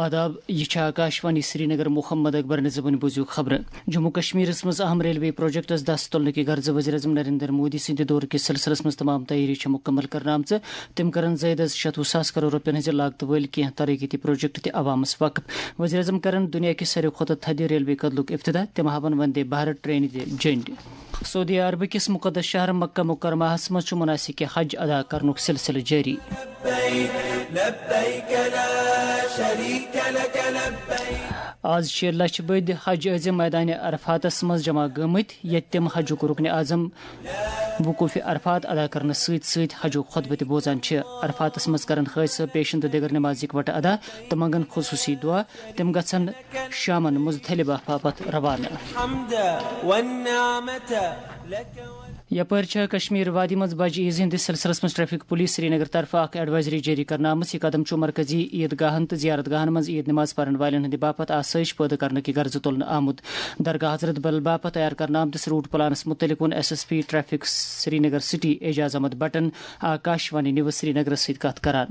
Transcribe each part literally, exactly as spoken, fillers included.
آداب، یہِ چھِ آکاشوانی سرینگر۔ محمد اکبر نظمن بوٗزِو خبرٕ۔ جموں کشمیرس منٛز اہم ریلوے پروجیکٹس دس تُلنہٕ کہِ غرضہٕ وزیر اعظم نریندر مودی سٕنٛدِ دورٕ کِس سلسلس منٛز تمام تیٲری چھِ مُکمل کرنہٕ آمژٕ۔ تِم کرن زٲیدٕ از شتوُہ ساس کرور رۄپین ہٕنٛزِ لاگتہٕ وٲلۍ کینٛہہ ترقیتی پروجیکٹ تہِ عوامس وقف۔ وزیر اعظم کرن دُنیا کہِ ساروی کھۄتہٕ تھدِ ریلوے کدلُک افتتاح۔ تِم ہاون وندے بھارت ٹرینہِ تہِ جنڈ۔ سعودی عربہٕ کِس مقدس شہر مکہ مکرمہس منٛز چھُ مناسک حج ادا کرنُک سلسلہٕ جٲری۔ آز شیٚیہِ لچھ بٔدۍ حج عٲزم میدان عرفاتس منٛز جمع گٔمٕتۍ، ییٚتہِ تِم حجُک رکن اعظم وقوف عرفات ادا کرنہٕ سۭتۍ سۭتۍ حجُک خطبہٕ تہِ بوزان چھِ۔ عرفاتس منٛز کرن حٲج صٲب پیشن تہٕ دِگر نماز اکوٹہٕ ادا تہٕ منگن خصوصی دعا۔ تِم گژھن شامن مزدلفہ باپتھ روانہٕ۔ یپٲرۍ چھےٚ کشمیر وادی منٛز بجہِ عیز ہٕنٛدِس سلسلس منٛز ٹریفک پولیس سرینگر طرفہٕ اکھ ایڈوائزری جٲری کرنہٕ آمٕژ۔ یہِ قدم چھُ مرکزی عید گاہن تہٕ زیارت گاہن منٛز عید نماز پرن والٮ۪ن ہٕنٛدِ باپتھ آسٲیش پٲدٕ کرنہٕ کہِ غرضہٕ تُلنہٕ آمُت۔ درگاہ حضرت بل باپتھ تیار کرنہٕ آمتِس روٹ پلانس متعلق ووٚن S S P traffic Srinagar city Ejaz Ahmad بٹن آکاشوانی نیوز سرینگرس سۭتۍ کتھ کران۔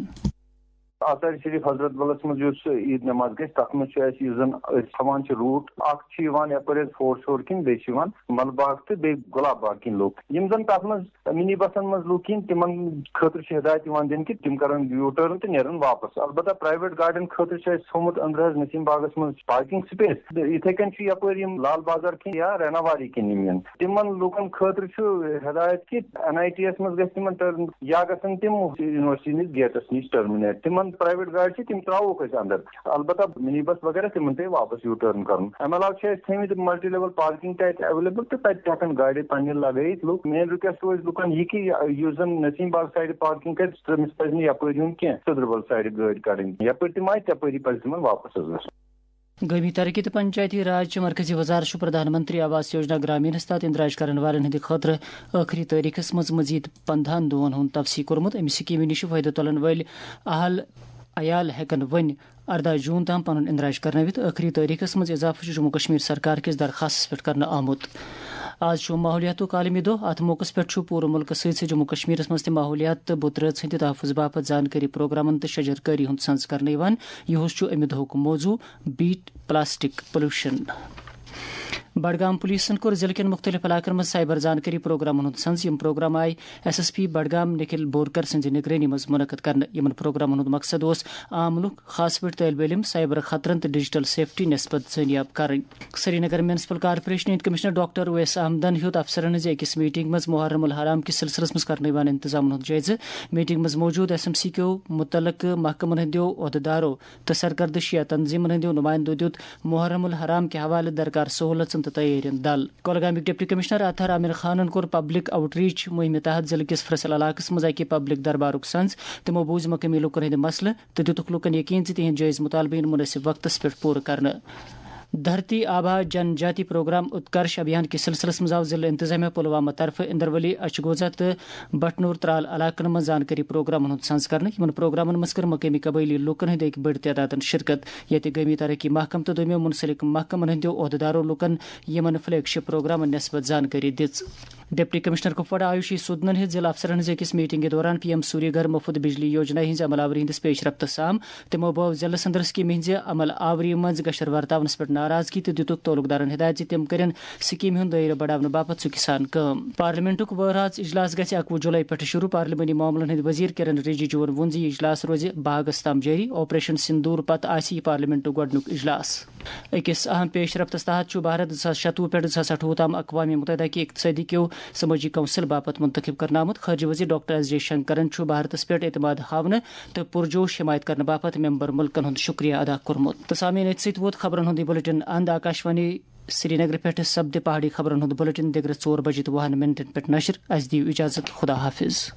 آثار شریف حضرت بلس منٛز یُس عید نماز گژھِ، تتھ منٛز چھُ اَسہِ، یُس زن أسۍ تھاوان چھِ روٹ، اکھ چھُ یِوان یپٲرۍ حظ فورٹ شور کِنۍ، بیٚیہِ چھِ یِوان مل باغ تہٕ بیٚیہِ گۄلاب باغ کِنۍ لُکھ۔ یِم زن تتھ منٛز منی بسن منٛز لُکھ یِن، تِمن خٲطرٕ چھِ ہدایت یِوان دِنہٕ کہِ تِم کرن یوٗ ٹٲرن تہٕ نیرن واپس۔ البتہ پرایویٹ گاڑٮ۪ن خٲطرٕ چھُ اَسہِ تھوٚومُت أنٛدرٕ حظ نسیم باغس منٛز پارکنگ سپیس۔ تہٕ یِتھے کٔنۍ چھُ یپٲرۍ یِم لال بازار کِنۍ یا ریناواری کِنۍ یِم یِن، تِمن لُکن خٲطرٕ چھُ ہدایت کہِ این آئی ٹی یس منٛز گژھِ تِمن ٹرن یا گژھن تِم یونیورسٹی نِش گیٹس نِش ٹرمنیٹ۔ تِمن پرایویٹ گاڑِ چھِ، تِم تراووکھ أسۍ اندر۔ البتہ منی بس وغیرہ تِمن پیٚیہِ واپس یوٗ ٹرن کرُن۔ امہِ علاوٕ چھِ اَسہِ تھٲومٕتۍ ملٹی لیول پارکنگ تہِ اَتہِ ایویلیبل تہٕ تَتہِ تہِ ہٮ۪کن گاڑِ پننہِ لگٲیِتھ لُکھ۔ مین رِکویسٹ روزِ لُکن یہِ کہِ یُس زن نسیم باغ سایڈٕ پارکنگ کرِ، تٔمِس پزِ نہٕ یپٲرۍ یُن کینٛہہ، سدربل سایڈٕ گٲڑۍ کڑٕنۍ۔ یپٲرۍ تِم آیہِ، تپٲری پزِ تِمن واپس حظ گژھُن۔ گٲمی ترقی تہٕ پنچایتی راج چہِ مرکزی وزارت چھُ پردھان منتری آواس یوجنا گرامینس تحت اندراج کرن والٮ۪ن ہٕنٛدِ خٲطرٕ ٲخری تٲریخس منٛز مزید پندہن دۄہن ہُنٛد توسیع کوٚرمُت۔ امہِ سکیمہِ نِش فٲیدٕ تُلن وٲلۍ اہل عیال ہٮ۪کن وۄنۍ ارداہ جون تام پنُن اندراج کرنٲوِتھ۔ ٲخری تٲریخس منٛز اضافہٕ چھُ جموں کشمیر سرکار کِس درخاستس پٮ۪ٹھ کرنہٕ آمُت۔ آز چھُ ماحولیاتُک عالمی دۄہ۔ اتھ موقعس پٮ۪ٹھ چھُ پوٗرٕ مُلکس سۭتۍ سۭتۍ جموں کشمیرس منٛز تہِ ماحولیات تہٕ بُترٲژ ہٕنٛدِ تحفظ باپتھ زانکٲری پروگرامن تہٕ شجرکٲری ہُنٛد سنز کرنہٕ یِوان۔ یِہُس چھُ امہِ دۄہُک موضوع، بیٹ پلاسٹک پولوشن۔ بڈگام پولیسن کوٚر ضلعہٕ کٮ۪ن مُختٔلِف علاقن منٛز سائبر زانکٲری پروگرامن ہُنٛد سنز۔ یِم پروگرام آیہِ S S P Budgam Nikhil Borkar سٕنٛزِ نگرٲنی منٛز منعقد کرنہٕ۔ یِمن پروگرامن ہُنٛد مقصد اوس عام لُکھ، خاص پٲٹھۍ طٲلبہِ علم، سائبر خطرن تہٕ ڈیجیٹل سیفٹی نسبت زٲنیاب کرٕنۍ۔ سرینگر میونسپل کارپوریشن ہٕنٛدۍ کمشنر ڈاکٹر اویس احمدن ہیوٚت افسرن ہٕنٛزِ أکِس میٹنگ منٛز محرم الحرام کِس سلسلس منٛز کرنہٕ یِوان انتظامن ہُنٛد جٲیزٕ۔ میٹنگ منٛز موجود ایس ایم سی کیو مُتعلقہٕ محکمن ہٕنٛدیو عہدٕدارو تہٕ سرکردٕ شیعہ تنظیمن ہٕنٛدیو نُمایندو دیُت محرم الحرام کہِ حوالہٕ درکار سہوٗلژن تہٕ تیٲرین دل۔ کۄلگامٕکۍ ڈپٹی کمشنر اطہر عامر خانن کوٚر پبلک آؤٹ ریچ مہمہِ تحت ضلعہٕ کِس فصل علاقس منٛز اکہِ پبلک دربارُک سنز۔ تِمو بوٗزۍ مقٲمی لوٗکن ہٕنٛدۍ مسلہٕ تہٕ دِتُکھ لوٗکن یقین زِ تِہنٛدۍ جٲیز مطالبہٕ یِن مُنٲسِب وقتس پٮ۪ٹھ پوٗرٕ کرنہٕ۔ دھرتی آبا جن جاتی پروگرام اتکرش ابھیان کِس سلسلس منٛز آو ضلعہٕ انتظامیہ پلوامہ طرفہٕ اندرولی، اچھگوزہ تہٕ بٹنور ترال علاقن منٛز زانکٲری پروگرامن ہُنٛد سنز کرنہٕ۔ یِمن پروگرامن منٛز کٔر مقٲمی قبٲیلی لوٗکن ہٕنٛدۍ اکہِ بٔڑۍ تعدادن شرکت، ییٚتہِ گٲمی ترقی محکمہٕ تہٕ دوٚیمٮ۪و منسلک محکمن ہٕنٛدیو عہدٕدارو لوٗکن یِمن فلیگ شپ پروگرامن نسبت زانکٲری دِژ۔ ڈپٹی کمشنر کپواڑہ آیوشی سودنن ہیٚژ ضلع افسرن ہٕنٛز أکِس میٹنگہِ دوران پی ایم سوری گھر مفت بجلی یوجنا ہٕنٛزِ عمل آوری ہٕنٛدِس پیش رفتس سام۔ تِمو بٲو ضلعہٕ صدرس کیمہِ ہٕنٛزِ عمل آوری منٛز گشر ورتاونس پٮ۪ٹھ ناراضگی تہٕ دِتُکھ تعلقدارن ہدایت زِ تِم کرن سکیمہِ ہُنٛد دٲیرٕ بڑاونہٕ باپتھ ژُکہِ سان کٲم۔ پارلیمنٹُک وہرٲژ اجلاس گژھِ اکوُہ جولائی پٮ۪ٹھٕ شروع۔ پارلیمانی معاملن ہٕنٛدۍ وزیر کِرن رِجیجوَن ووٚن زِ یہِ اجلاس روزِ باغس تام جٲری۔ آپریشن سندور پتہٕ آسہِ یہِ پارلیمنٹُک گۄڈٕنیُک اجلاس۔ أکِس اہم پیش رفتس تحت چھُ بھارت زٕ ساس شتوُہ پٮ۪ٹھ زٕ ساس اَٹھووُہ تام اقوام متحدہ کہِ اقتصٲدی کیو سمٲجی کونسل باپتھ منتخب کرنہٕ آمُت۔ خارجہ وزیر ڈاکٹر ایس جے شنکرن چھُ بھارتس پٮ۪ٹھ اعتماد ہاونہٕ تہٕ پرجوش حمایت کرنہٕ باپتھ ممبر ملکن ہُنٛد شکریہ ادا کوٚرمُت۔ تہٕ سامعین، أتھۍ سۭتۍ ووت خبرن ہُنٛد یہِ بلٹن اند۔ آکاشوانی سرینگر پٮ۪ٹھ سپدِ پہاڑی خبرن ہُنٛد بلٹن دِگرٕ ژور بجے تہٕ وُہن منٹن پٮ۪ٹھ نشر۔ اسہِ دِیِو اجازت، خدا حافظ۔